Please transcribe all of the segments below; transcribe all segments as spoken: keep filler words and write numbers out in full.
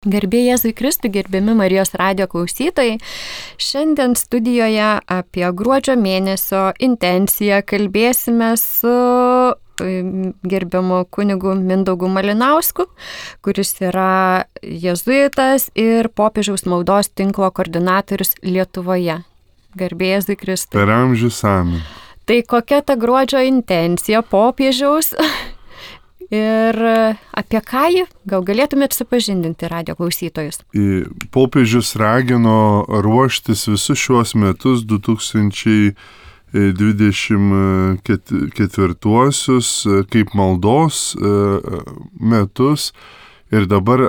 Garbė Jėzui Kristui, gerbiami Marijos radijo klausytojai. Šiandien studijoje apie gruodžio mėnesio intenciją kalbėsime su gerbiamu kunigu Mindaugu Malinausku, kuris yra jėzuitas ir popiežiaus maldos tinklo koordinatorius Lietuvoje. Garbė Jėzui Kristui. Per amžius amen. Tai kokia ta gruodžio intencija popiežiaus? Ir apie ką jį? Gal galėtumėt supažindinti radijo klausytojus? Popiežius ragino ruoštis visus šiuos metus du tūkstančiai dvidešimt ketvirtuosius kaip maldos metus. Ir dabar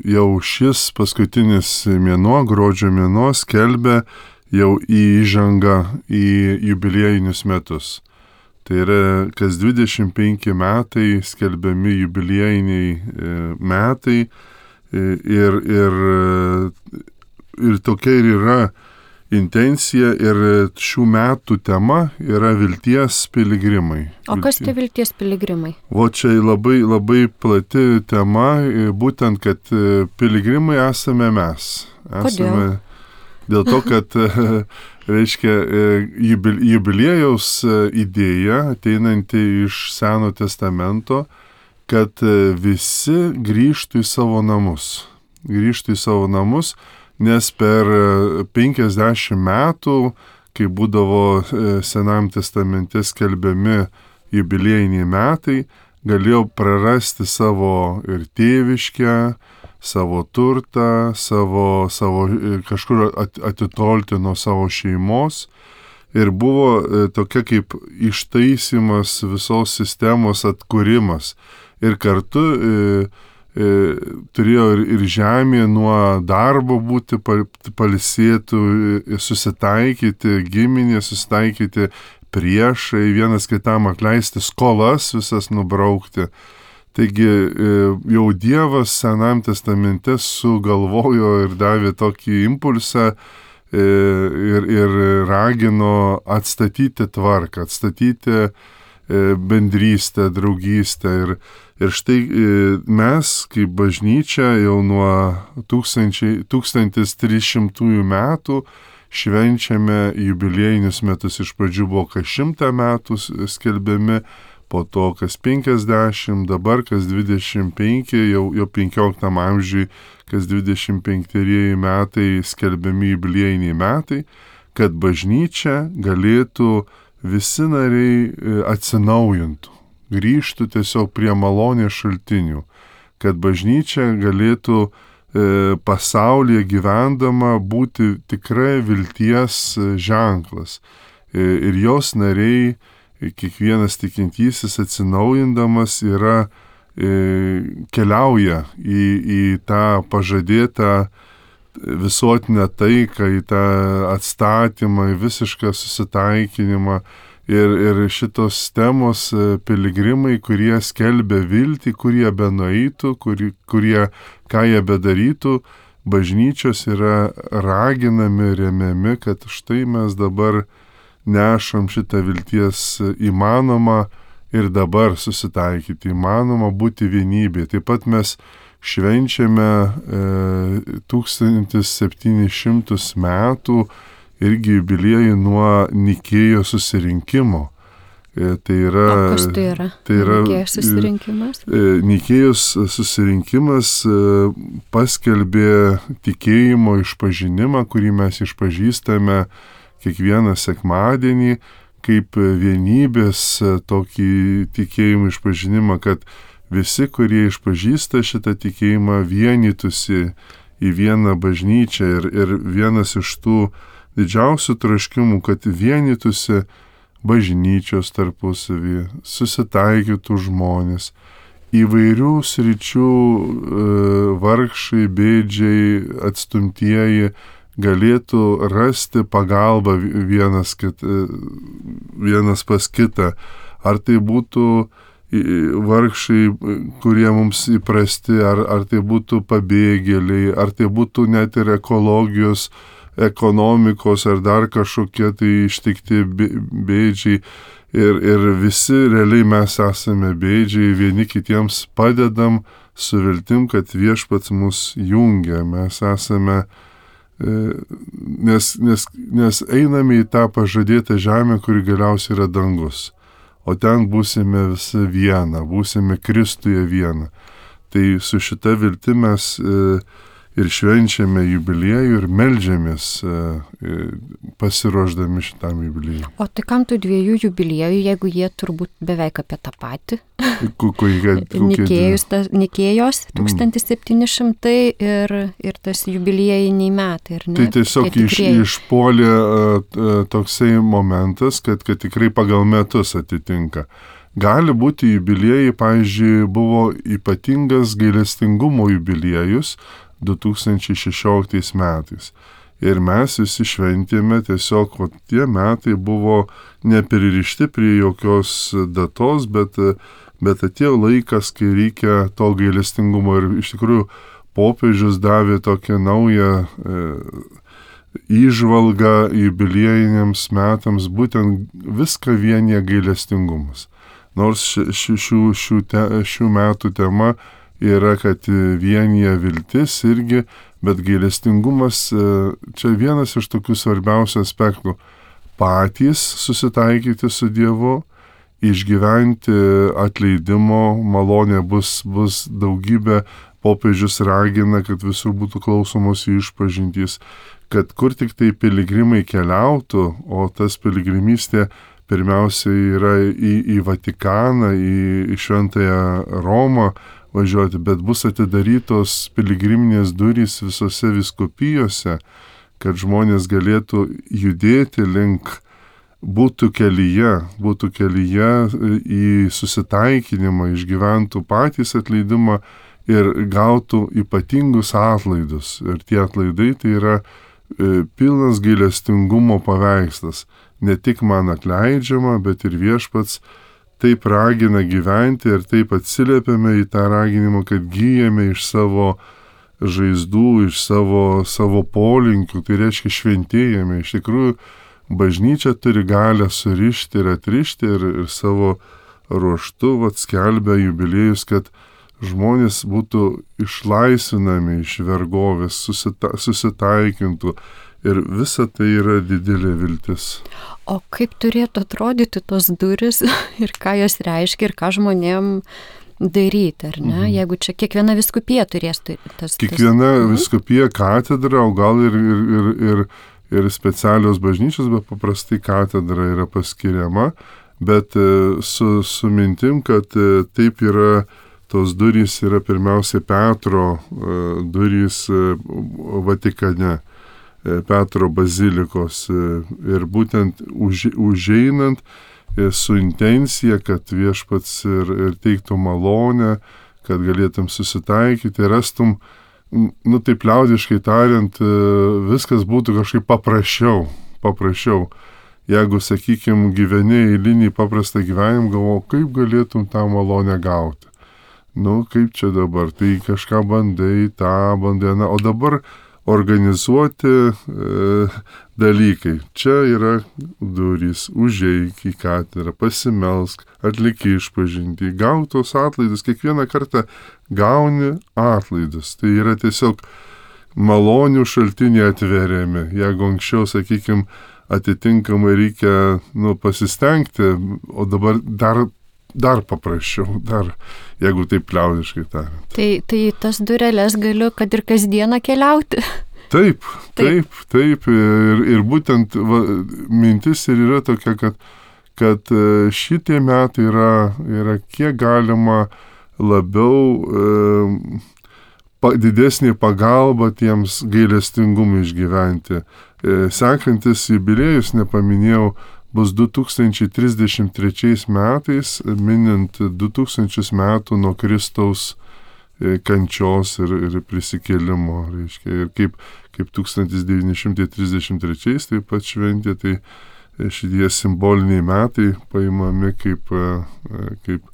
jau šis paskutinis mėnuo, gruodžio mėnuo, skelbia jau įžangą į jubiliejinius metus. Tai yra, kas dvidešimt penki metai skelbiami jubiliejiniai metai ir, ir, ir tokia ir yra intencija ir šių metų tema yra vilties piligrimai. O kas tie vilties piligrimai? O čia labai, labai plati tema, būtent, kad piligrimai esame mes. Esame, Kodėl? Dėl to, kad reiškia, jubiliejaus idėja ateinanti iš Seno testamento, kad visi grįžtų į savo namus. Grįžtų į savo namus, nes per penkiasdešimt metų, kai būdavo Senam testamente skelbiami jubiliejiniai metai, galėjo prarasti savo ir tėviškę, savo turtą, savo, savo kažkur atitolti nuo savo šeimos. Ir buvo tokia kaip ištaisymas visos sistemos atkūrimas. Ir kartu e, e, turėjo ir, ir žemė nuo darbo būti pailsėtų, susitaikyti, giminė susitaikyti, priešai, vienas kitam atleisti, skolas visas nubraukti. Taigi jau Dievas Senam testamente sugalvojo ir davė tokį impulsą ir, ir ragino atstatyti tvarką, atstatyti bendrystę, draugystę. Ir, ir štai mes, kaip bažnyčia, jau nuo tūkstantis trys šimtųjų metų švenčiame jubiliejinius metus. Iš pradžių buvo kas šimtą metų skelbiami, po to kas penkiasdešimt, dabar kas dvidešimt penki, jau, jau penkioliktam amžiui, kas dvidešimt penktieji metai skelbiami jubiliejiniai metai, kad bažnyčia galėtų visi nariai atsinaujintų, grįžtų tiesiog prie malonės šaltinių, kad bažnyčia galėtų e, pasaulyje gyvendama būti tikrai vilties ženklas. E, ir jos nariai, kiekvienas tikintysis atsinaujindamas yra, e, keliauja į, į tą pažadėtą visuotinę taiką, į tą atstatymą, į visišką susitaikinimą. Ir, ir šitos temos piligrimai, kurie skelbia viltį, kurie benueitų, kurie, kurie ką jie bedarytų, bažnyčios yra raginami, remiami, kad štai mes dabar nešam šitą vilties įmanoma ir dabar susitaikyti, įmanoma būti vienybė. Taip pat mes švenčiame e, tūkstantis septynis šimtus metų irgi jubiliejų nuo Nikėjos susirinkimo. E, tai yra, o kas tai yra? Tai yra Nikėjos susirinkimas? E, Nikėjos susirinkimas e, paskelbė tikėjimo išpažinimą, kurį mes išpažįstame kiekvieną sekmadienį, kaip vienybės tokį tikėjimą išpažinimą, kad visi, kurie išpažįsta šitą tikėjimą, vienytųsi į vieną bažnyčią. Ir, ir vienas iš tų didžiausių troškimų, kad vienytųsi bažnyčios tarpusavyje, susitaikytų žmonės, įvairių sričių e, vargšai, bėdžiai, atstumtieji, galėtų rasti pagalbą vienas, kit, vienas pas kitą. Ar tai būtų vargšai, kurie mums įprasti, ar, ar tai būtų pabėgėliai, ar tai būtų net ir ekologijos, ekonomikos, ar dar kažkokie tai ištikti bėdžiai. Ir, ir visi realiai mes esame bėdžiai, vieni kitiems padedam su viltim, kad viešpats mus jungia. Mes esame, nes, nes, nes einame į tą pažadėtą žemę, kuri galiausiai yra dangus. O ten būsime visi viena, būsime Kristuje viena. Tai su šita viltim mes ir švenčiame jubiliejų ir meldžiamės pasiruošdami šitam jubiliejui. O tai kam tų dviejų jubiliejų, jeigu jie turbūt beveik apie tą patį? Nikėjos, Nikėjos tūkstantis septyni šimtai ir, ir tas jubiliejiniai metai. Ir ne, tai tiesiog iš, išpuolė toksai momentas, kad, kad tikrai pagal metus atitinka. Gali būti jubiliejai, pavyzdžiui, buvo ypatingas gailestingumo jubiliejus du tūkstančiai šešioliktais metais. Ir mes visi šventėme tiesiog, o tie metai buvo nepririšti prie jokios datos, bet, bet atėjo laikas, kai reikia to gailestingumo. Ir iš tikrųjų popiežius davė tokią naują e, įžvalgą jubiliejiniams metams, būtent viską vienyje gailestingumas. Nors šių, šių, šių, te, šių metų tema yra, kad vienyje viltis irgi, bet gailestingumas čia vienas iš tokių svarbiausių aspektų. Patys susitaikyti su Dievu, išgyventi atleidimo malonė bus, bus daugybė, popiežius ragina, kad visur būtų klausomos išpažintys, kad kur tik tai piligrimai keliautų, o tas piligrimystė pirmiausiai yra į, į Vatikaną, į, į Šventąją Romą važiuoti, bet bus atidarytos piligriminės durys visose vyskupijose, kad žmonės galėtų judėti link, būtų kelyje, būtų kelyje į susitaikinimą, išgyventų patys atleidimą ir gautų ypatingus atlaidus. Ir tie atlaidai tai yra e, pilnas gailestingumo paveikslas. Ne tik man atleidžiama, bet ir viešpats taip ragina gyventi ir taip atsiliepiame į tą raginimą, kad gyjame iš savo žaizdų, iš savo, savo polinkių, tai reiškia šventėjame. Iš tikrųjų, bažnyčia turi galę surišti ir atrišti ir, ir savo ruoštu vat, skelbia jubiliejus, kad žmonės būtų išlaisvinami iš vergovės, susita, susitaikintų. Ir visa tai yra didelė viltis. O kaip turėtų atrodyti tos duris ir ką jos reiškia ir ką žmonėm daryti, ar ne? Mhm. Jeigu čia kiekviena vyskupija turės tas... Kiekviena tas... vyskupija katedra, o gal ir, ir, ir, ir, ir specialios bažnyčios, bet paprastai katedra yra paskiriama, bet su, su mintim, kad taip yra, tos durys yra pirmiausia Petro durys Vatikane. Petro bazilikos ir būtent už, užeinant su intencija, kad viešpats ir, ir teiktų malonę, kad galėtum susitaikyti, rastum, nu taip liaudiškai tariant, viskas būtų kažkaip paprasčiau, paprasčiau. Jeigu, sakykime, gyveni eilinį paprastą gyvenimą, galvoju, kaip galėtum tą malonę gauti. Nu, kaip čia dabar, tai kažką bandai, tą bandai, na, o dabar organizuoti e, dalykai. Čia yra durys, užeik į katedrą, pasimelsk, atlikį išpažinti, gautos atlaidus, kiekvieną kartą gauni atlaidus. Tai yra tiesiog malonių šaltiniai atveriami. Jeigu anksčiau, sakykime, atitinkamai reikia nu, pasistengti, o dabar dar Dar paprasčiau, dar, jeigu taip liaudiškai tariant. Tai, tai tas dureles galiu, kad ir kasdieną keliauti. Taip, taip, taip. taip. Ir, ir būtent va, mintis ir yra tokia, kad, kad šitie metai yra, yra kiek galima labiau e, pa, didesnė pagalba tiems gailestingumui išgyventi. E, sekantis jubiliejus, nepaminėjau, bus du tūkstančiai trisdešimt trečiais metais, minint du tūkstančius metų nuo Kristaus kančios ir, ir prisikėlimo. Reiškia. Ir kaip, kaip tūkstantis devyni šimtai trisdešimt trečiais taip pat šventė, tai šitie simboliniai metai paimami kaip, kaip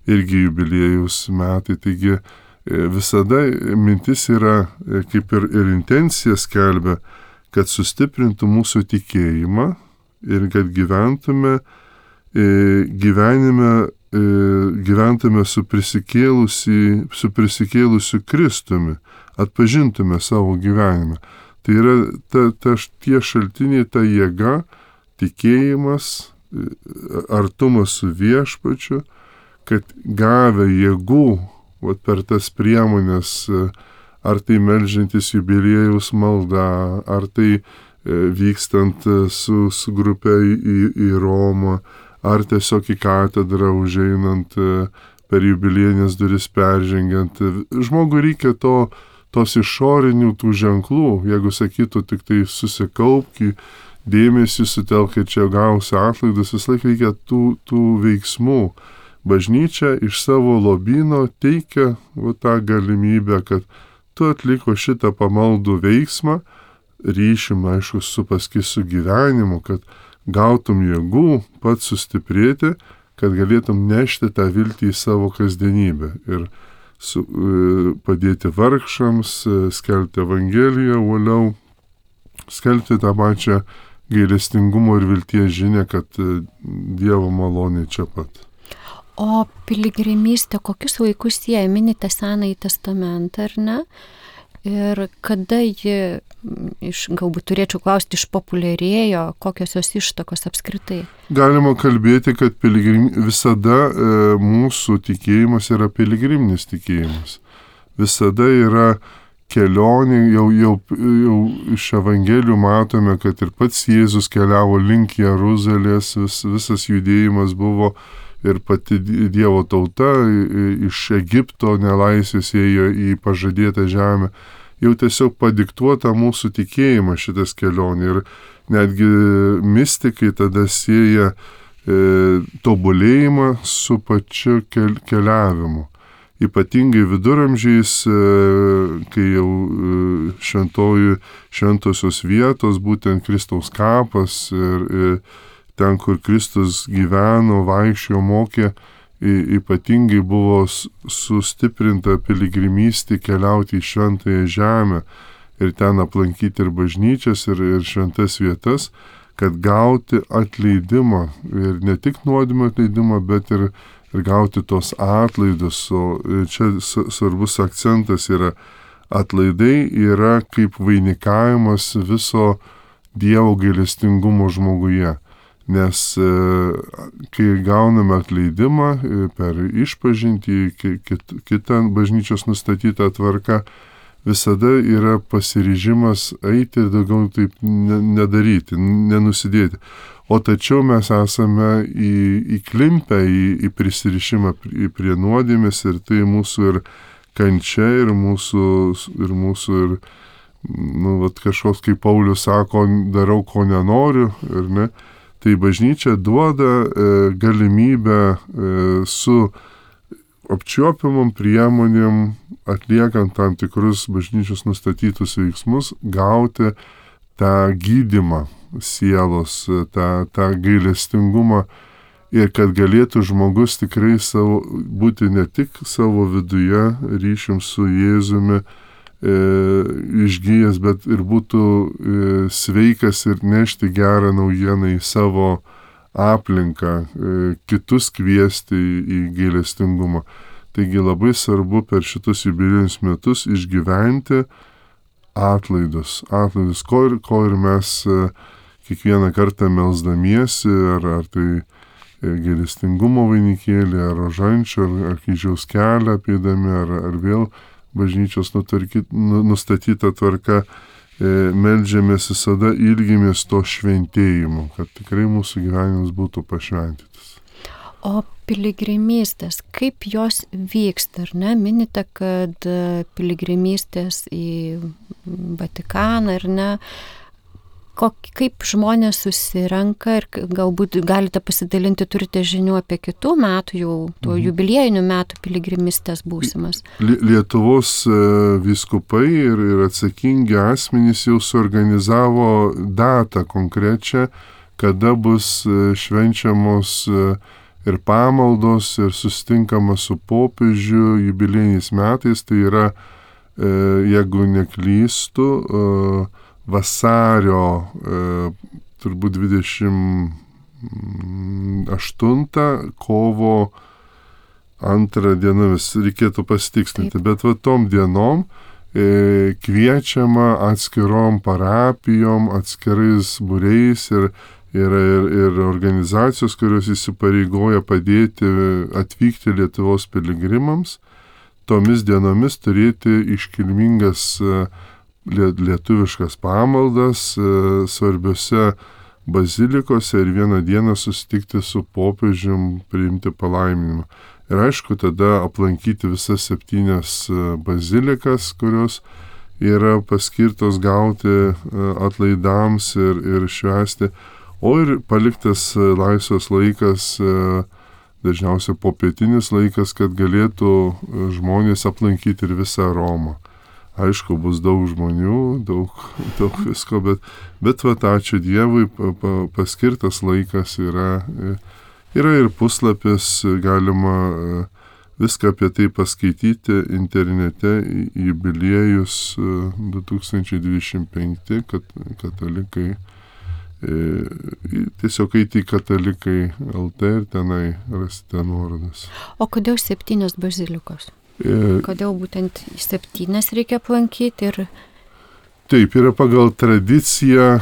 irgi jubiliejus metai. Taigi visada mintis yra, kaip ir, ir intencija skelbia, kad sustiprintų mūsų tikėjimą ir kad gyventume gyvenime gyventume su prisikėlusiu, su prisikėlusiu Kristumi, atpažintume savo gyvenimą. Tai yra ta, ta, tie šaltiniai, ta jėga, tikėjimas, artumas su viešpačiu, kad gavę jėgų vat, per tas priemonės, ar tai melžiantis jubiliejaus malda, ar tai vykstant su, su grupė į, į Romą, ar tiesiog į katedrą užeinant, per jubiliejinės duris peržengiant. Žmogui reikia to, tos išorinių tų ženklų, jeigu sakytų tik tai susikaupki, dėmesį sutelk ir čia gausi atlaidus, vis laik reikia tų, tų veiksmų. Bažnyčia iš savo lobyno teikia va, tą galimybę, kad tu atliko šitą pamaldų veiksmą, ryšim, aišku, su paskui su gyvenimu, kad gautum jėgų pats sustiprėti, kad galėtum nešti tą viltį į savo kasdienybę ir su, padėti vargšams, skelbti Evangeliją uoliau, skelbti tą pačią gailestingumo ir vilties žinią, kad Dievo malonė čia pat. O piligrimystė, kokius vaikus jie minite Senąjį testamentą, ar ne? Ir kada ji, iš, galbūt turėčiau klausti, išpopuliarėjo, kokios jos ištakos apskritai? Galima kalbėti, kad piligrim, visada e, mūsų tikėjimas yra piligriminis tikėjimas. Visada yra kelionė, jau, jau, jau iš Evangelijų matome, kad ir pats Jėzus keliavo link Jeruzalės, vis, visas judėjimas buvo ir pati Dievo tauta iš Egipto nelaisvės ėjo į pažadėtą žemę. Jau tiesiog padiktuota mūsų tikėjimą šitas kelionė ir netgi mistikai tada sieja e, tobulėjimą su pačiu kel, keliavimu. Ypatingai viduramžiais, e, kai jau e, šventojų, šventosios vietos, būtent Kristaus kapas ir, ir ten, kur Kristus gyveno, vaikščiojo, mokė, ypatingai buvo sustiprinta piligrimystė keliauti į šventąją žemę ir ten aplankyti ir bažnyčias, ir, ir šventas vietas, kad gauti atleidimą. Ir ne tik nuodėmio atleidimą, bet ir, ir gauti tos atlaidus. O čia svarbus akcentas yra atlaidai, yra kaip vainikavimas viso Dievo gailestingumo žmoguje. Nes e, kai gauname atleidimą per išpažintį, kit, kitą bažnyčios nustatytą tvarką, visada yra pasiryžimas eiti ir daugiau taip nedaryti, nenusidėti. O tačiau mes esame į, įklimpę į, į prisirišimą prie nuodėmės ir tai mūsų ir kančia, ir mūsų, ir mūsų ir, nu, vat, kažkoks, kaip Paulius sako, darau, ko nenoriu, ir ne. Tai bažnyčia duoda e, galimybę e, su apčiuopiamom priemonėm, atliekant tam tikrus bažnyčios nustatytus veiksmus, gauti tą gydymą sielos, tą, tą gailestingumą ir kad galėtų žmogus tikrai savo, būti ne tik savo viduje ryšium su Jėzumi, E, išgyjęs, bet ir būtų e, sveikas ir nešti gerą naujieną į savo aplinką, e, kitus kviesti į, į gailestingumą. Taigi labai svarbu per šitus jubiliejinius metus išgyventi atlaidus, atlaidus, ko ir, ko ir mes e, kiekvieną kartą melsdamiesi, ar, ar tai e, gailestingumo vainikėlį, ar rožančių, ar, ar kryžiaus kelią apeidami, ar, ar vėl bažnyčios nutarkyt, nustatyta tvarka, e, meldžiamės visada, ilgimės to šventėjimo, kad tikrai mūsų gyvenimas būtų pašventytas. O piligrimystės, kaip jos vyksta, ar ne? Minite, kad piligrimystės į Vatikaną, ar ne? Kok, kaip žmonės susirenka ir galbūt galite pasidalinti, turite žinių apie kitų metų, jau tų mhm. jubiliejinių metų piligrimistės būsimas. Lietuvos vyskupai ir, ir atsakingi asmenys jau suorganizavo datą konkrečią, kada bus švenčiamos ir pamaldos, ir susitinkama su popiežiu jubiliejiniais metais. Tai yra, jeigu neklystu, vasario e, turbūt dvidešimt aštuntą kovo antrą dienomis, reikėtų pasitikslinti, bet va tom dienom e, kviečiama atskirom parapijom, atskirais būriais ir yra ir, ir organizacijos, kurios įsipareigoja padėti atvykti Lietuvos piligrimams, tomis dienomis turėti iškilmingas lietuviškas pamaldas svarbiose bazilikose ir vieną dieną susitikti su popiežium, priimti palaiminimą. Ir aišku, tada aplankyti visas septynias bazilikas, kurios yra paskirtos gauti atlaidams ir, ir švęsti, o ir paliktas laisvas laikas, dažniausiai popietinis laikas, kad galėtų žmonės aplankyti ir visą Romą. Aišku, bus daug žmonių, daug, daug visko, bet, bet vat, ačiū Dievui, pa, pa, paskirtas laikas yra, yra ir puslapis, galima viską apie tai paskaityti internete, jubiliejus du tūkstančiai dvidešimt penkti, kad katalikai, tiesiog eiti į katalikai L T ir tenai rasite nuorodas. O kodėl septynios bazilikos? Kodėl būtent septynes reikia aplankyti? Ir... Taip, yra pagal tradiciją, e,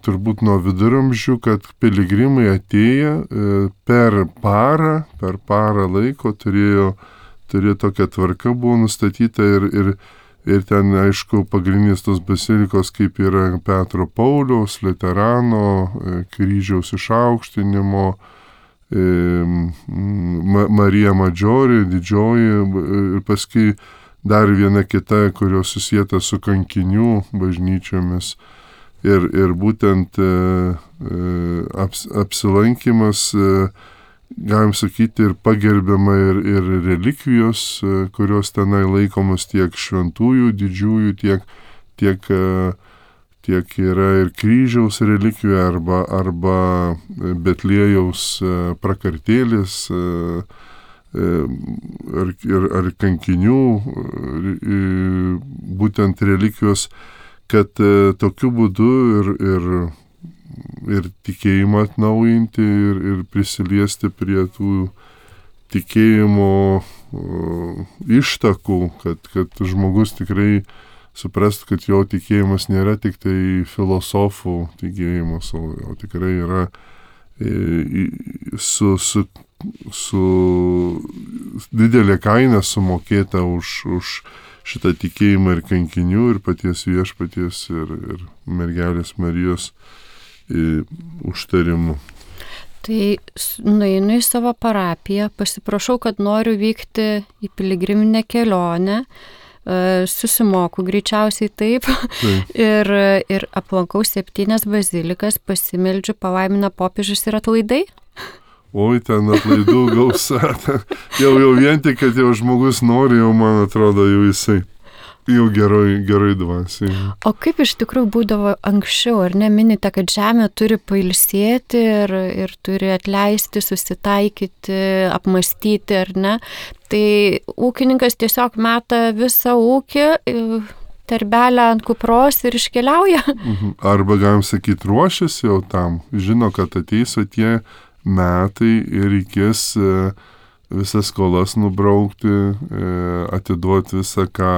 turbūt nuo viduramžių, kad piligrimai atėję e, per parą, per parą laiko turėjo, turėjo tokia tvarka buvo nustatyta ir, ir, ir ten, aišku, pagrindinės tos bazilikos, kaip yra Petro Pauliaus, Liuterano, e, kryžiaus išaukštinimo, Marija Madžiori, didžioji ir paskui dar viena kita, kurios susieta su kankinių bažnyčiomis. Ir, ir būtent e, aps, apsilankimas, e, galim sakyti, ir pagerbiama ir, ir relikvijos, e, kurios tenai laikomos tiek šventųjų, didžiųjų, tiek, tiek e, tiek yra ir kryžiaus relikvija arba, arba Betliejaus prakartėlis ar, ar, ar kankinių, būtent relikvijos, kad tokiu būdu ir, ir, ir tikėjimą atnaujinti ir, ir prisiliesti prie tų tikėjimo ištakų, kad, kad žmogus tikrai suprastų, kad jo tikėjimas nėra tik tai filosofų tikėjimas, o, o tikrai yra e, su, su, su didelė kaina sumokėta už, už šitą tikėjimą ir kankinių, ir paties viešpaties, ir, ir mergelės Marijos e, užtarimu. Tai nueinu į savo parapiją, pasiprašau, kad noriu vykti į piligriminę kelionę, susimoku greičiausiai taip, taip. Ir, ir aplankau septynias bazilikas, pasimeldžiu, palaimina popiežius ir atlaidai. Oi, ten atlaidų gausa. jau, jau vien tik, kad jau žmogus nori, jau man atrodo, jau jisai jau geroj, geroj dvasiai. O kaip iš tikrųjų būdavo anksčiau, ar ne, minite, kad žemė turi pailsėti ir, ir turi atleisti, susitaikyti, apmastyti, ar ne? Tai ūkininkas tiesiog meta visą ūkį, terbelę ant kupros ir iškeliauja. Arba, galim sakyti, ruošiasi jau tam, žino, kad ateis tie metai ir reikės visas skolas nubraukti, atiduoti visą, ką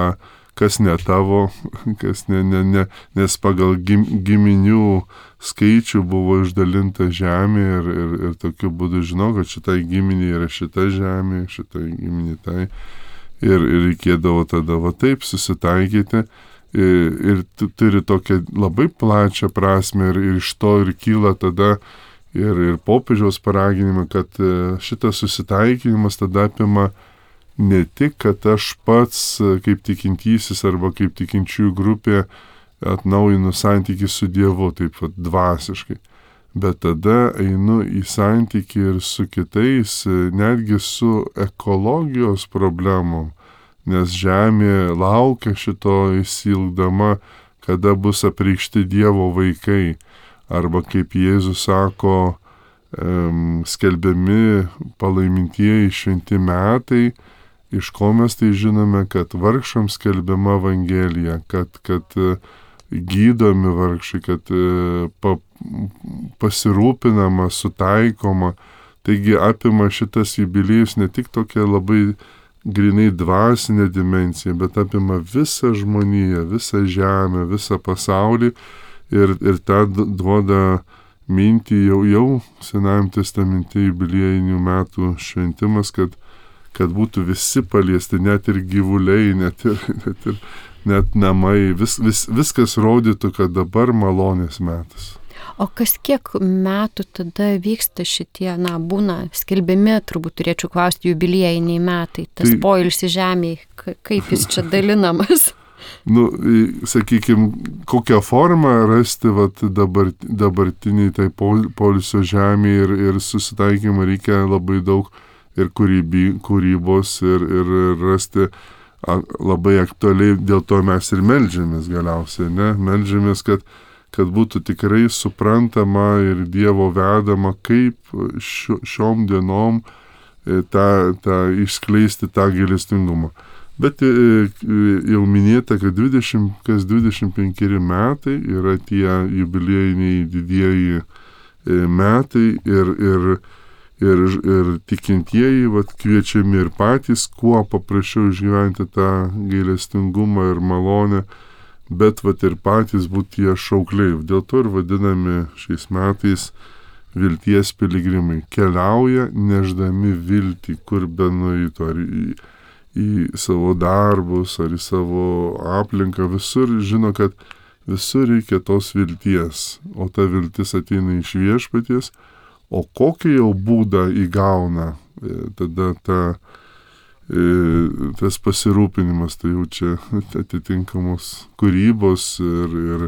kas ne tavo, kas ne, ne, ne, nes pagal gim, giminių skaičių buvo išdalinta žemė ir, ir, ir tokiu būdu žinau, kad šitai giminė yra šita žemė, šitai giminė tai. Ir, ir reikėdavo tada va taip susitaikyti ir, ir turi tokią labai plačią prasme ir, ir iš to ir kyla tada ir, ir popiežiaus paraginimą, kad šitas susitaikinimas tada apima ne tik, kad aš pats kaip tikintysis arba kaip tikinčiųjų grupė atnaujinu santykį su Dievu, taip pat dvasiškai, bet tada einu į santykį ir su kitais, netgi su ekologijos problemom, nes žemė laukia šito išsilgdama, kada bus apreikšti Dievo vaikai, arba kaip Jėzus sako, skelbiami palaimintieji šventi metai, iš ko mes tai žinome, kad vargšams skelbiama Evangelija, kad, kad gydomi vargšai, kad pa, pasirūpinama, sutaikoma. Taigi apima šitas jubiliejus ne tik tokia labai grinai dvasinė dimensija, bet apima visą žmoniją, visą žemę, visą pasaulį ir, ir tą duoda mintį jau, jau Senajam testamente jubiliejinių metų šventimas, kad, kad būtų visi paliesti, net ir gyvuliai, net ir, net ir net namai, vis, vis, viskas rodytų, kad dabar malonės metas. O kas kiek metų tada vyksta šitie, na, būna skelbiami, turbūt turėčiau klausti, jubiliejiniai metai, tas tai, poilsis žemėje, kaip jis čia dalinamas? Nu, sakykime, kokią formą rasti vat, dabar, dabartiniai tai poilsio žemėje ir, ir susitaikymą reikia labai daug ir kūryby, kūrybos ir, ir rasti labai aktualiai, dėl to mes ir meldžiamės galiausiai, ne? Meldžiamės, kad, kad būtų tikrai suprantama ir Dievo vedama, kaip šio, šiom dienom tą, tą išskleisti tą gailestingumą. Bet jau minėta, kad dvidešimt, kas dvidešimt penkeri metai yra tie jubiliejiniai didieji metai ir, ir, ir, ir tikintieji vat, kviečiami ir patys, kuo paprasčiau išgyventi tą gailestingumą ir malonę, bet vat, ir patys būti tie šaukliai. Dėl to ir vadinami šiais metais vilties piligrimai. Keliauja neždami viltį, kur be nueitų, ar į į savo darbus ar į savo aplinką, visur žino, kad visur reikia tos vilties, o ta viltis ateina iš Viešpaties, o kokį jau būdą įgauna tada ta, tas pasirūpinimas, tai jau čia atitinkamos kūrybos ir, ir,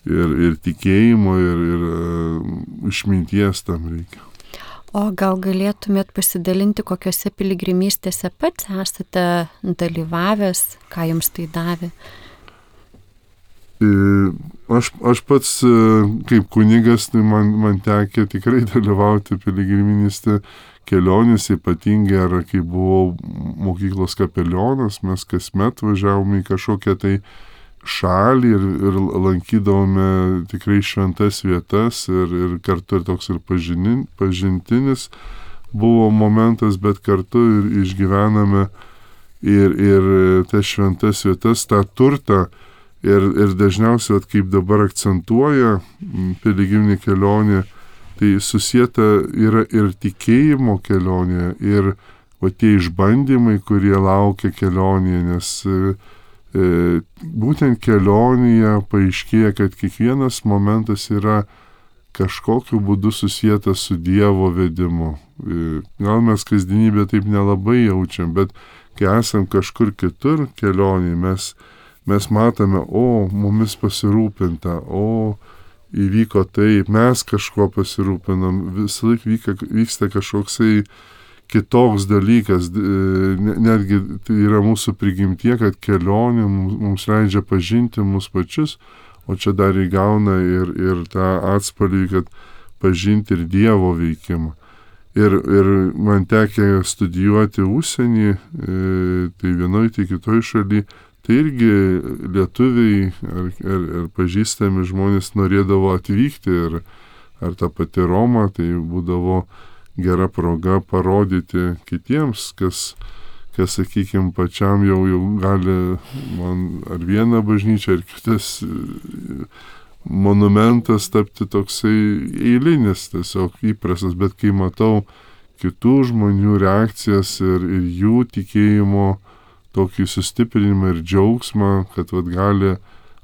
ir, ir tikėjimo ir, ir išminties tam reikia. O gal galėtumėt pasidalinti, kokiose piligrimystėse pats esate dalyvavęs, ką jums tai davė? Aš, aš pats kaip kunigas, tai man, man tekė tikrai dalyvauti piligrimystė kelionėse, ypatingai ar kai buvau mokyklos kapelionas, mes kasmet važiavome į kažkokią tai šalį ir, ir lankydavome tikrai šventas vietas ir, ir kartu ir toks ir pažinin, pažintinis buvo momentas, bet kartu ir išgyvename ir, ir tas šventas vietas, tą turtą ir, ir dažniausiai, kaip dabar akcentuoja piligriminė kelionė, tai susieta yra ir tikėjimo kelionė ir o tie išbandymai, kurie laukia kelionėje, nes E, būtent kelionėje paaiškėja, kad kiekvienas momentas yra kažkokiu būdu susietas su Dievo vedimu. E, gal mes kasdienybę taip nelabai jaučiam, bet kai esam kažkur kitur kelionėje, mes, mes matome, o, mumis pasirūpinta, o, įvyko taip, mes kažko pasirūpinam, visą laiką vyka, vyksta kažkoksai kitoks dalykas, netgi tai yra mūsų prigimtie, kad kelionė mums leidžia pažinti mus pačius, o čia dar įgauna ir, ir tą atspalvį, kad pažinti ir Dievo veikimą. Ir, ir man tekė studijuoti užsienį, tai vienoj, tai kitoj šaly, tai irgi lietuviai ar, ar, ar pažįstami žmonės norėdavo atvykti ir ar ta pati Roma, tai būdavo gera proga parodyti kitiems, kas, kas sakykime, pačiam jau, jau gali man ar vieną bažnyčią, ar kitas monumentas tapti toksai eilinis, tiesiog įprastas, bet kai matau kitų žmonių reakcijas ir, ir jų tikėjimo tokį sustiprinimą ir džiaugsmą, kad vat, gali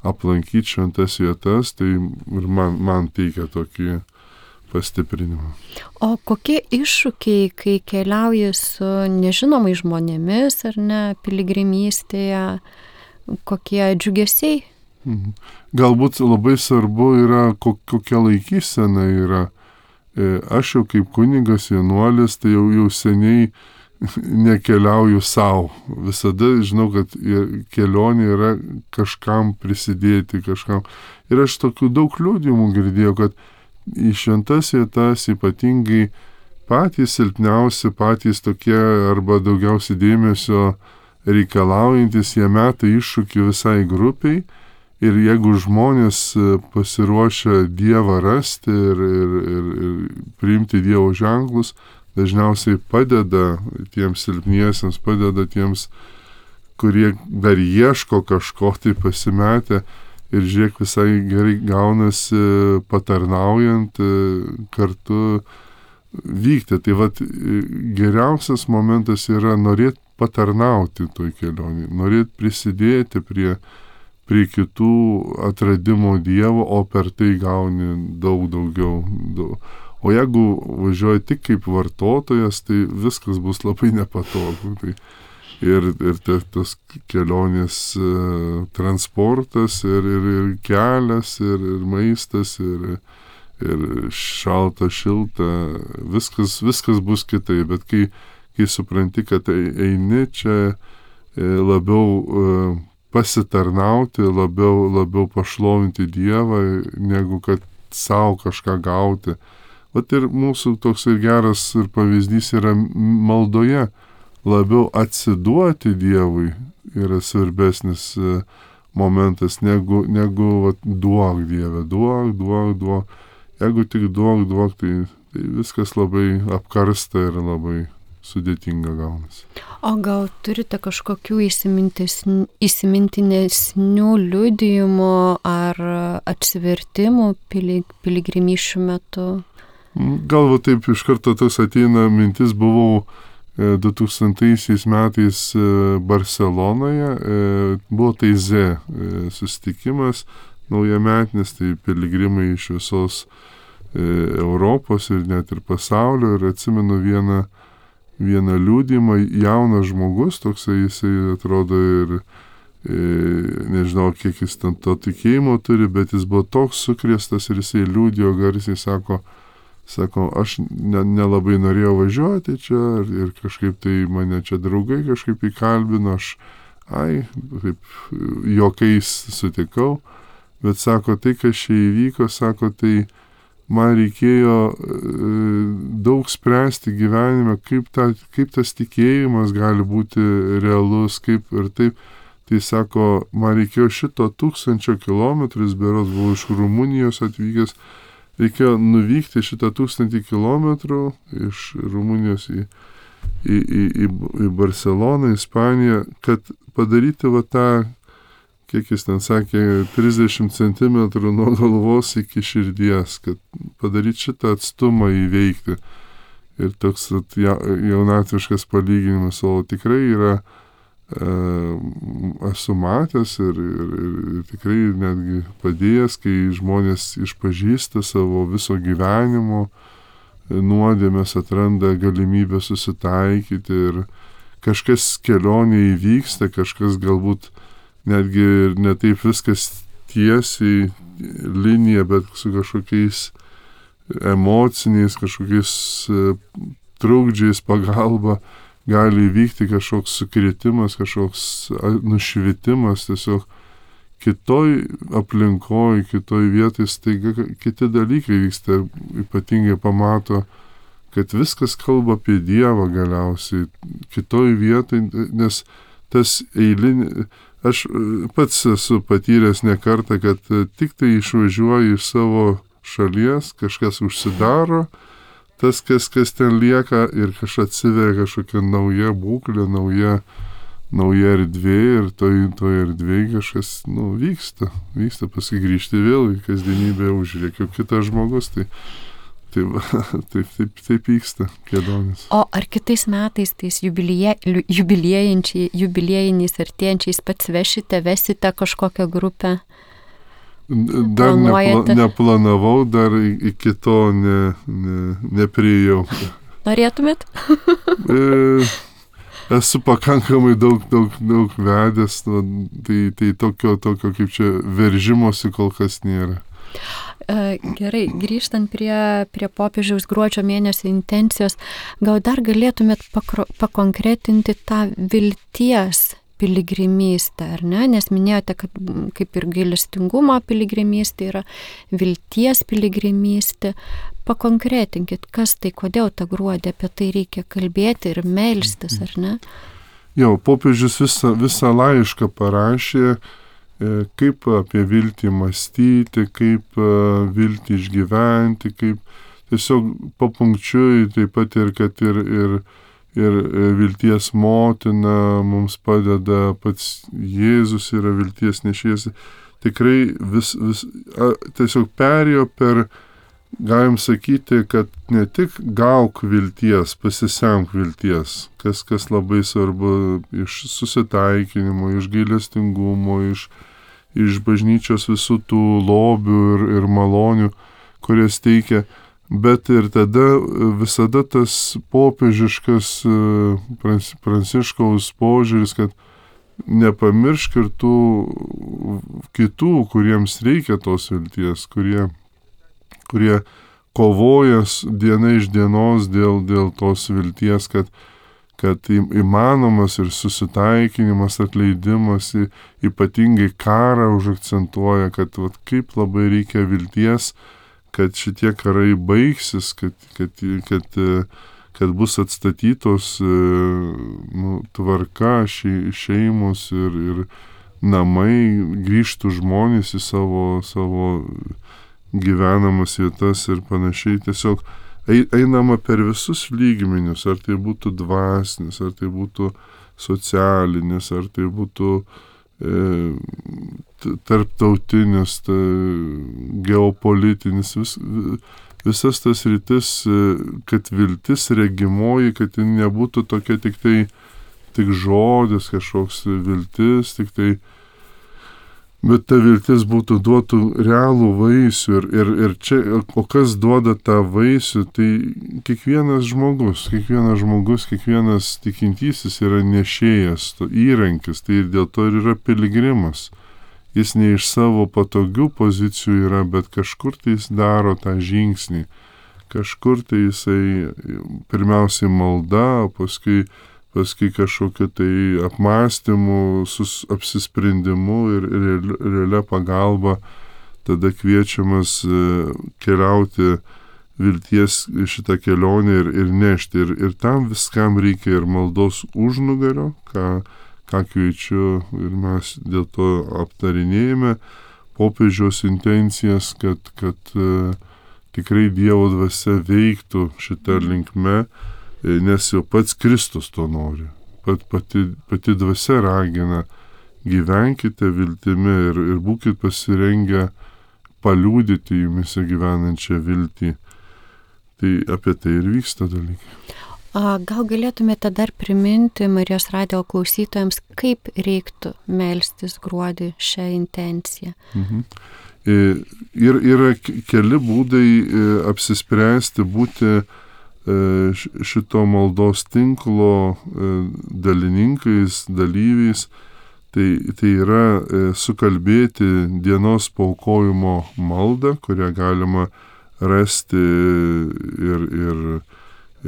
aplankyti šventas vietas, tai ir man, man teikia tokį pastiprinimą. O kokie iššūkiai, kai keliauji su nežinomais žmonėmis ar ne piligrimystėje, kokie džiugesiai? Mhm. Galbūt labai svarbu yra, kokia laikysena yra. Aš jau kaip kunigas vienuolis, tai jau, jau seniai nekeliauju savo. Visada žinau, kad kelionė yra kažkam prisidėti, kažkam. Ir aš tokių daug liudijimų girdėjau, kad į šventas vietas ypatingai patys silpniausi, patys tokie arba daugiausiai dėmesio reikalaujantis, jie meta iššūkį visai grupiai Ir jeigu žmonės pasiruošia Dievą rasti ir, ir, ir, ir priimti Dievo ženklus, dažniausiai padeda tiems silpniesiems, padeda tiems, kurie dar ieško kažko, tai pasimetę. Ir žiūrėk, visai gerai gaunasi patarnaujant kartu vykti. Tai vat geriausias momentas yra norėti patarnauti toj kelionį, norėti prisidėti prie prie kitų atradimo Dievo, o per tai gauni daug daugiau. Daug. O jeigu važiuoji tik kaip vartotojas, tai viskas bus labai nepatogu. Tai ir ir te, tas kelionės e, transportas, ir, ir, ir kelias, ir, ir maistas, ir, ir šalta, šilta, viskas, viskas bus kitaip. Bet kai, kai supranti, kad eini čia e, labiau e, pasitarnauti, labiau, labiau pašlovinti Dievą, negu kad savo kažką gauti. Vat ir mūsų toks ir geras ir pavyzdys yra maldoje. Labiau atsiduoti Dievui yra svarbesnis momentas, negu, negu vat, duok Dieve, duok, duok, duok. Jeigu tik duok, duok, tai, tai viskas labai apkarsta ir labai sudėtinga gaunasi. O gal turite kažkokių įsimintinesnių liudijimų ar atsivertimų piligrimysčių metu? Gal va taip iš karto tas ateina mintis, buvau du tūkstantaisiais metais Barselonoje, buvo Taizė susitikimas naujametinis, tai piligrimai iš visos Europos ir net ir pasaulio, ir atsimenu vieną vieną liudijimą, jaunas žmogus, toksai jisai atrodo ir e, nežinau, kiek jis ten to tikėjimo turi, bet jis buvo toks sukrėstas ir jisai liudijo garsiai, sako, sako, aš ne, nelabai norėjau važiuoti čia ir, ir kažkaip tai mane čia draugai kažkaip įkalbino, aš, ai, taip, juokais sutikau, bet sako, tai, kas čia įvyko, sako, tai man reikėjo e, daug spręsti gyvenime, kaip, ta, kaip tas tikėjimas gali būti realus, kaip ir taip. Tai sako, man reikėjo šito tūkstančio kilometrų, jis berods buvo iš Rumunijos atvykęs, reikėjo nuvykti šitą tūkstantį kilometrų iš Rumunijos į, į, į, į, į Barceloną, Ispaniją, kad padaryti va tą, kiek jis ten sakė, trisdešimt centimetrų nuo galvos iki širdies, kad padaryti šitą atstumą įveikti. Ir toks jaunatviškas palyginimas, o tikrai yra, e, esu matęs ir, ir, ir tikrai netgi padėjęs, kai žmonės išpažįsta savo viso gyvenimo nuodėmes, atranda galimybę susitaikyti ir kažkas kelionė įvyksta, kažkas galbūt netgi ir ne taip viskas tiesiai linija, bet su kažkokiais emociniais, kažkokiais trukdžiais pagalba gali įvykti kažkoks sukrėtimas, kažkoks nušvitimas, tiesiog kitoj aplinkoj, kitoj vietoj staiga kiti dalykai vyksta, ypatingai pamato, kad viskas kalba apie Dievą galiausiai, kitoj vietoj, nes tas eilinį, aš pats esu patyręs ne kartą, kad tik tai išvažiuoju iš savo šalies, kažkas užsidaro, tas, kas, kas ten lieka ir kažkas atsiveria kažkokia nauja būklė, nauja, nauja erdvė ir toj, toj erdvėje kažkas, nu, vyksta, vyksta, paskui grįžti vėl į kasdienybę, užrėkiu kitas žmogus, tai Taip, taip, taip, taip vyksta kelionės. O ar kitais metais tais jubilieji, jubiliejiniais artėjančiais pats vešite, vesite kažkokią grupę? Dar nepla, neplanavau, dar iki to ne, ne, nepriejau. Norėtumėt? e, esu pakankamai daug, daug, daug vedęs, nu, tai, tai tokio, tokio kaip čia veržimosi kol kas nėra. Gerai, grįžtant prie, prie popiežiaus gruodžio mėnesio intencijos, gal dar galėtumėt pakro, pakonkretinti tą vilties piligrimystę, ar ne? Nes minėjote, kad kaip ir gailestingumo piligrimystė yra vilties piligrimystė. Pakonkretinkit, kas tai, kodėl tą gruodį apie tai reikia kalbėti ir melstis, ar ne? Jau, popiežius visą, visą laišką parašė kaip apie viltį mąstyti, kaip viltį išgyventi, kaip tiesiog papunkčiui, taip pat ir kad ir, ir, ir vilties motina mums padeda, pats Jėzus yra vilties nešėjas. Tikrai vis, vis, tiesiog perėjo per, galim sakyti, kad ne tik gauk vilties, pasisemk vilties, kas, kas labai svarbu iš susitaikinimo, iš gailestingumo, iš, iš bažnyčios visų tų lobių ir, ir malonių, kurias teikia, bet ir tada visada tas popiežiškas Pranciškaus požiūris, kad nepamiršk ir tų kitų, kuriems reikia tos vilties, kurie kurie kovoja diena iš dienos dėl, dėl tos vilties, kad, kad įmanomas ir susitaikinimas, atleidimas, ypatingai karą užakcentuoja, kad vat, kaip labai reikia vilties, kad šitie karai baigsis, kad, kad, kad, kad bus atstatytos nu, tvarka, šeimos ir, ir namai, grįžtų žmonės į savo, savo gyvenamas vietas ir panašiai. Tiesiog einama per visus lygmenius, ar tai būtų dvasinis, ar tai būtų socialinis, ar tai būtų e, tarptautinis, ta, geopolitinis, vis, visas tas rytis, kad viltis regimoji, kad ji nebūtų tokia tik tai tik žodis, kažkoks viltis, tik tai bet ta viltis būtų duotų realų vaisių ir, ir, ir čia, o kas duoda tą vaisių, tai kiekvienas žmogus, kiekvienas žmogus, kiekvienas tikintysis yra nešėjas, to įrankis, tai dėl to ir yra piligrimas. Jis ne iš savo patogių pozicijų yra, bet kažkur tai jis daro tą žingsnį, kažkur tai jisai pirmiausiai malda, paskui paskui kažkokiu tai apmąstymu, sus, apsisprendimu ir realia pagalba tada kviečiamas keliauti vilties šitą kelionę ir, ir nešti. Ir, ir tam viskam reikia ir maldos užnugario, ką, ką kviečiu ir mes dėl to aptarinėjame, popiežiaus intencijas, kad, kad tikrai Dievo dvasia veiktų šitą linkme, nes jau pats Kristus to nori. Pat, pati, pati dvasia ragina, gyvenkite viltimi ir, ir būkite pasirengę paliūdyti jumise gyvenančią viltį. Tai apie tai ir vyksta dalykai. Gal galėtumėte dar priminti Marijos radijo klausytojams, kaip reiktų melstis gruodį šią intenciją? Mhm. Ir yra keli būdai apsispręsti būti šito maldos tinklo dalininkais, dalyviais. Tai, tai yra sukalbėti dienos paaukojimo maldą, kurią galima rasti ir, ir,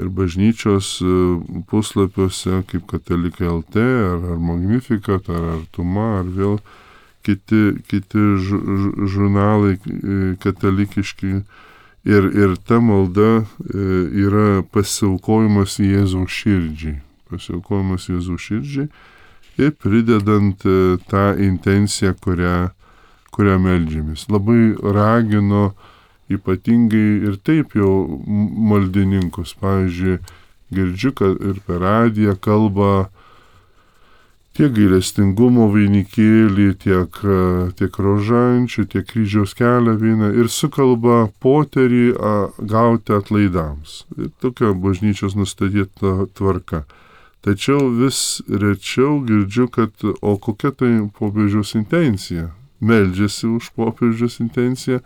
ir bažnyčios puslapiuose, kaip Katalikai L T, ar, ar Magnificat, ar Artuma, ar vėl kiti, kiti žurnalai katalikiški. Ir, ir ta malda yra pasiaukojimas Jėzaus širdžiai. Pasiaukojimas Jėzaus širdžiai ir pridedant tą intenciją, kurią, kurią meldžiamės. Labai ragino ypatingai ir taip jau maldininkus. Pavyzdžiui, girdžiu, kad ir per radiją kalba tiek gailestingumo vainikėlį, tiek, tiek rožančių, tiek kryžiaus kelią vyną ir sukalba poterį a, gauti atlaidams. Ir tokia bažnyčios nustatyta tvarka. Tačiau vis rečiau girdžiu, kad o kokia tai popiežiaus intencija. Meldžiasi už popiežiaus intenciją,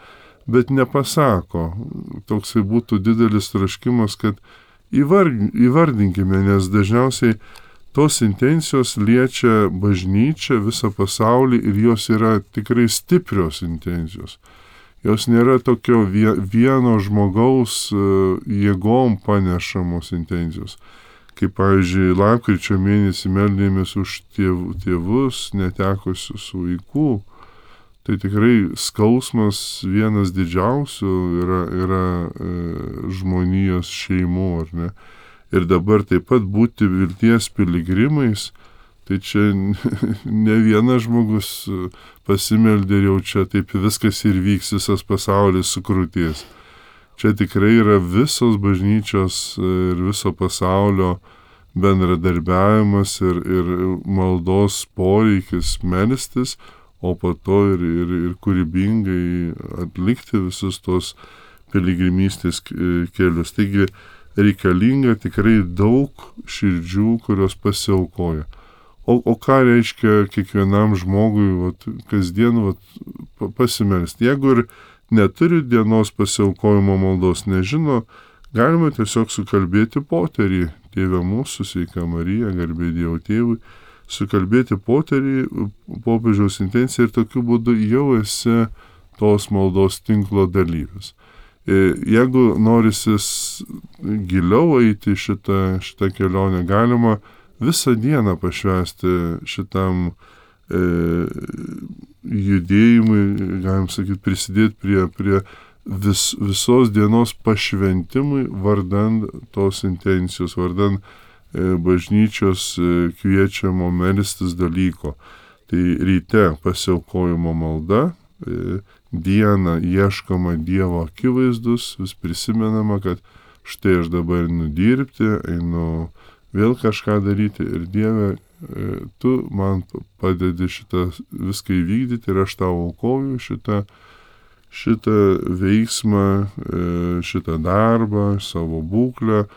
bet nepasako. Toksai būtų didelis troškimas, kad įvardinkime, nes dažniausiai tos intencijos liečia bažnyčią, visą pasaulį ir jos yra tikrai stiprios intencijos. Jos nėra tokio vieno žmogaus jėgom panešamos intencijos. Kaip, pavyzdžiui, lapkričio mėnesį meldėmės už tėv, tėvus netekusius vaikų. Tai tikrai skausmas vienas didžiausių yra, yra e, žmonijos šeimų, ar ne? Ir dabar taip pat būti vilties piligrimais, Tai čia ne vienas žmogus pasimeldė ir jau čia taip viskas ir vyks, visas pasaulis sukrūties. Čia tikrai yra visos bažnyčios ir viso pasaulio bendradarbiavimas ir, ir maldos poreikis melstis, o po to ir, ir, ir kūrybingai atlikti visus tos piligrimystės kelius. Taigi reikalinga tikrai daug širdžių, kurios pasiaukoja. O, o ką reiškia kiekvienam žmogui vat, kasdien vat, pasimelsti? Jeigu ir neturi dienos pasiaukojimo maldos, nežino, galima tiesiog sukalbėti poterį. Tėve mūsų, sveika Marija, garbė Dievo tėvui, sukalbėti poterį, popiežiaus intenciją ir tokiu būdu jau esi tos maldos tinklo dalyvis. Jeigu norisis giliau eiti šitą, šitą kelionę, galima visą dieną pašvęsti šitam e, judėjimui, galim sakyti, prisidėti prie, prie vis, visos dienos pašventimui vardan tos intencijos, vardan e, bažnyčios e, kviečiamo melstis dalyko. Tai ryte pasiaukojimo malda, e, dieną ieškoma Dievo akivaizdus, vis prisimenama, kad štai aš dabar einu dirbti, einu vėl kažką daryti ir Dieve, e, tu man padedi šitą viską įvykdyti ir aš tau aukoju šitą šitą veiksmą, šitą darbą, savo būklę,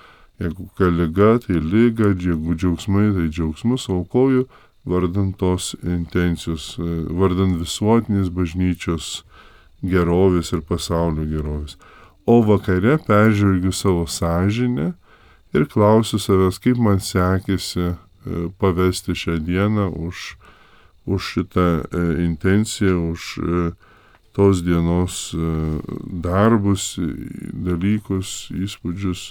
jeigu liga, tai liga, jeigu džiaugsmai, tai džiaugsmus aukoju vardan tos intencijos, vardan visuotinės bažnyčios gerovės ir pasaulio gerovės. O vakare peržvelgiu savo sąžinę ir klausiu savęs, kaip man sekėsi pavesti šią dieną už, už šitą intenciją, už tos dienos darbus, dalykus, įspūdžius,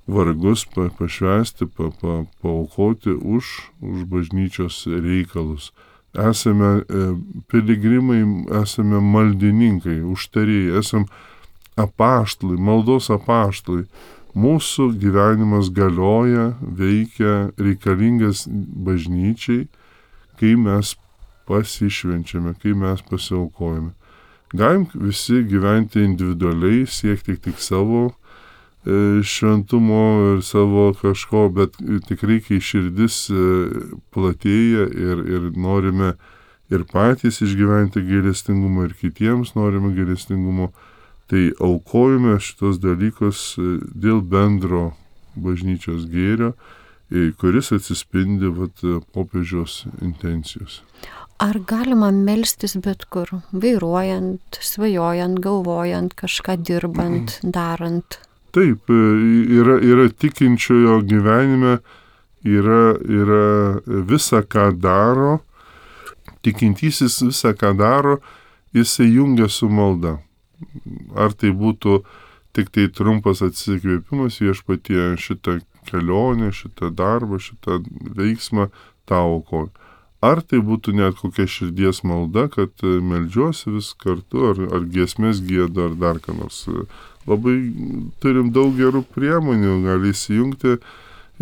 vargus pa, pašvęsti, pa, pa, paaukoti už, už bažnyčios reikalus. Esame piligrimai, esame maldininkai, užtarėjai, esame apaštalai, maldos apaštalai. Mūsų gyvenimas galioja, veikia, reikalingas bažnyčiai, kai mes pasišvenčiame, kai mes pasiaukojame. Galim visi gyventi individualiai, siekti tik savo e, šventumo ir savo kažko, bet tikrai, kai širdis e, platėja ir, ir norime ir patys išgyventi gailestingumą ir kitiems norime gailestingumo, tai aukojame šitos dalykus dėl bendro bažnyčios gėrio, kuris atsispindi vat, popiežiaus intencijos. Ar galima melstis bet kur, vairuojant, svajojant, galvojant, kažką dirbant, darant? Taip, yra, yra tikinčiojo gyvenime, yra, yra visa, ką daro, tikintysis visą, ką daro, jisai jungia su malda. Ar tai būtų tik tai trumpas atsikvėpimas viešpatie šitą kelionę, šitą darbą, šitą veiksmą tau aukoju. Ar tai būtų net kokia širdies malda, kad meldžiuosi vis kartu, ar, ar giesmės giedu, ar dar ką nors. Labai turim daug gerų priemonių, gali įsijungti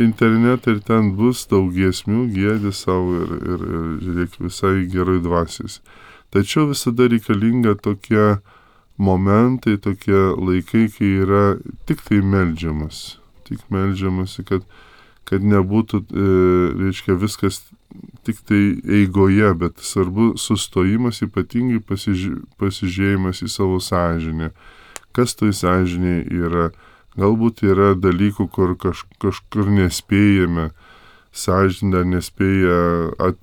internetą ir ten bus daug giesmių, giedi savo ir, ir, ir žiūrėk visai gerai dvasiais. Tačiau visada reikalinga tokie momentai, tokie laikai, kai yra tik tai meldžiamas. Tik meldžiamasi, kad, kad nebūtų, e, reiškia, viskas tik tai eigoje, bet svarbu sustojimas, ypatingai pasiži- pasižiūrėjimas į savo sąžinę. Kas toj sąžinė yra? Galbūt yra dalykų, kur kaž, kažkur nespėjame, sąžinė nespėja at,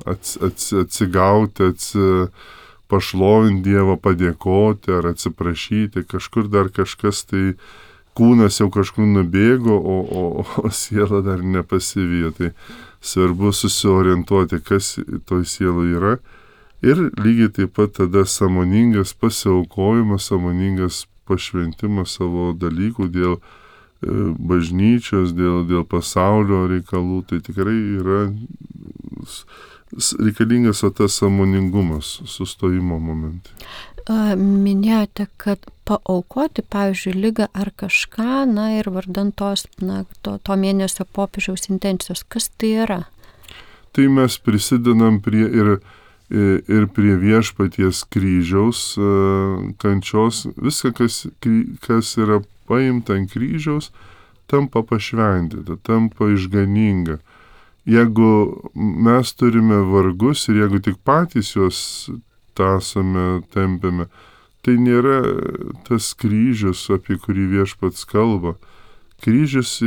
at, at, atsigauti, atsi, pašlovinti Dievą, padėkoti ar atsiprašyti, kažkur dar kažkas tai kūnas jau kažkur nubėgo, o, o, o siela dar nepasivijo. Tai svarbu susiorientuoti, kas toj sielai yra. Ir lygiai taip pat tada sąmoningas pasiaukojimas, sąmoningas pašventimas savo dalykų dėl e, bažnyčios, dėl, dėl pasaulio reikalų. Tai tikrai yra reikalingas o tas sąmoningumas, sustojimo momentai. Minėjote, kad paaukoti, pavyzdžiui, ligą ar kažką, na ir vardan tos, na, to, to mėnesio popiežiaus intencijos. Kas tai yra? tai mes prisidedam prie ir, ir prie viešpaties kryžiaus kančios. Viską, kas, kas yra paimta ant kryžiaus, tampa pašventinta, tampa išganinga. Jeigu mes turime vargus ir jeigu tik patys juos tąsome, tempiame, tai nėra tas kryžius, apie kurį viešpats kalba. Kryžius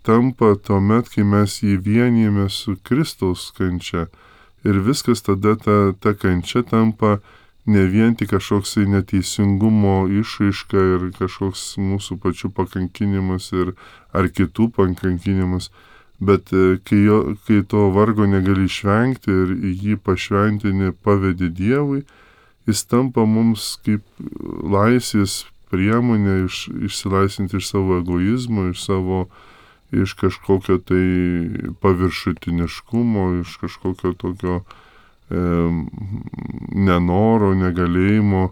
tampa tuomet, kai mes jį vienijame su Kristaus kančia. Ir viskas tada ta, ta kančia tampa ne vien tik kažkoks neteisingumo išraiška ir kažkoks mūsų pačių pakankinimas ir ar kitų pakankinimas, bet kai, jo, kai to vargo negali išvengti ir jį pašventini pavedi Dievui, jis tampa mums kaip laisvės priemonė iš, išsilaisvinti iš savo egoizmo, iš savo, iš kažkokio tai paviršutiniškumo, iš kažkokio tokio e, nenoro, negalėjimo,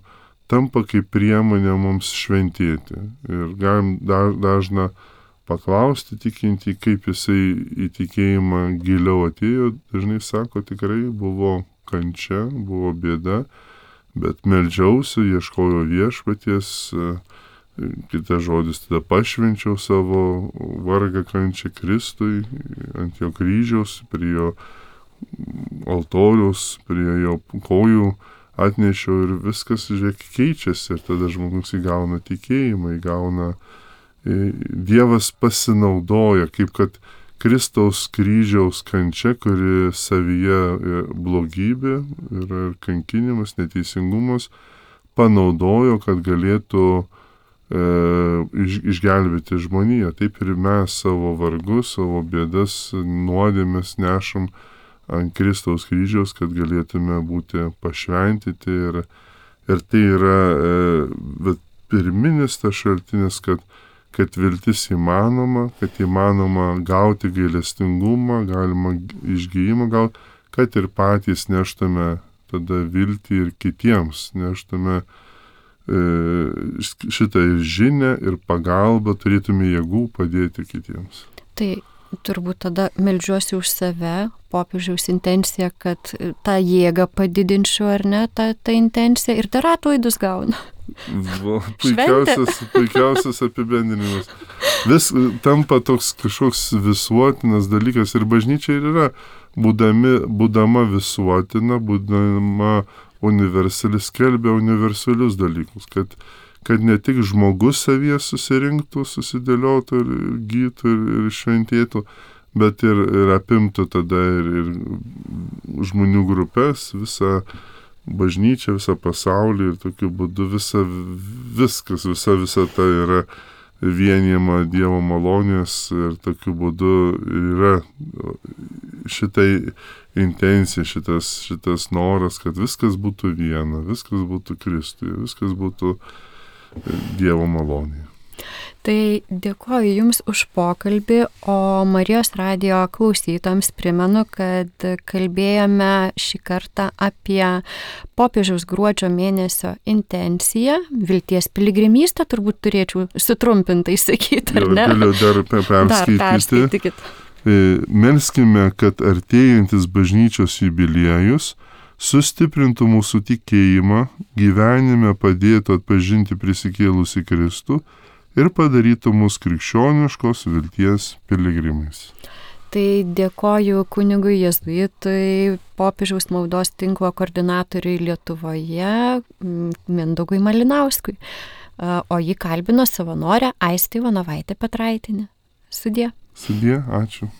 tampa kaip priemonė mums šventėti. Ir galim da, dažna paklausti tikintį, kaip jisai į tikėjimą giliau atėjo. Dažnai sako, tikrai buvo kančia, buvo bėda, bet meldžiausi, ieškojau viešpaties, kitas žodis, tada pašvenčiau savo vargą kančią Kristui ant jo kryžiaus, prie jo altoriaus, prie jo kojų atnešiau ir viskas, žiūrėk, keičiasi ir tada žmogus įgauna tikėjimą, įgauna, Dievas pasinaudoja, kaip kad Kristaus kryžiaus kančia, kuri savyje blogybė ir kankinimas, neteisingumas, panaudojo, kad galėtų e, iš, išgelbėti žmoniją. Taip ir mes savo vargus, savo bėdas, nuodėmes nešam ant Kristaus kryžiaus, kad galėtume būti pašventyti. Ir, ir tai yra e, pirminis tas šaltinis, kad kad viltis įmanoma, kad įmanoma gauti gailestingumą, galima išgijimą gauti, kad ir patys neštume tada viltį ir kitiems, neštume e, šitą ir žinią, ir pagalbą, turėtume jėgų padėti kitiems. Tai turbūt tada meldžiuosi už save, popiežiaus intenciją, kad tą jėgą padidinčiau, ar ne, tą, tą intenciją, ir dar atlaidus gauna. Va, puikiausias, puikiausias apibendrinimas. Vis tampa toks kažkoks visuotinas dalykas ir bažnyčia ir yra, būdami, būdama visuotina, būdama universali, skelbia universalius dalykus, kad, kad ne tik žmogus savyje susirinktų, susidėliotų ir gytų ir, ir šventėtų, bet ir, ir apimtų tada ir, ir žmonių grupės, visą bažnyčia, visą pasaulį ir tokiu būdu visa, viskas, visa, visa ta yra vienijama Dievo malonės ir tokiu būdu yra šitai intencija, šitas, šitas noras, kad viskas būtų viena, viskas būtų Kristuje, viskas būtų Dievo malonėje. Tai dėkoju Jums už pokalbį, o Marijos radijo klausytojams primenu, kad kalbėjome šį kartą apie popiežiaus gruodžio mėnesio intenciją, vilties piligrimystę, turbūt turėčiau sutrumpintai sakyti, ar ne? Galiu dar perskaityti. Dar perskaitykit. Melskime, kad artėjantis bažnyčios jubiliejus sustiprintų mūsų tikėjimą, gyvenime padėtų atpažinti prisikėlusį Kristų ir padarytų mus krikščioniškos vilties piligrimais. Tai dėkoju kunigui jėzuitui, popiežiaus maldos tinklo koordinatoriui Lietuvoje, Mindaugui Malinauskui. O jį kalbino savanorė Aistė Ivanovaitė Petraitienė. Sudie. Sudie, ačiū.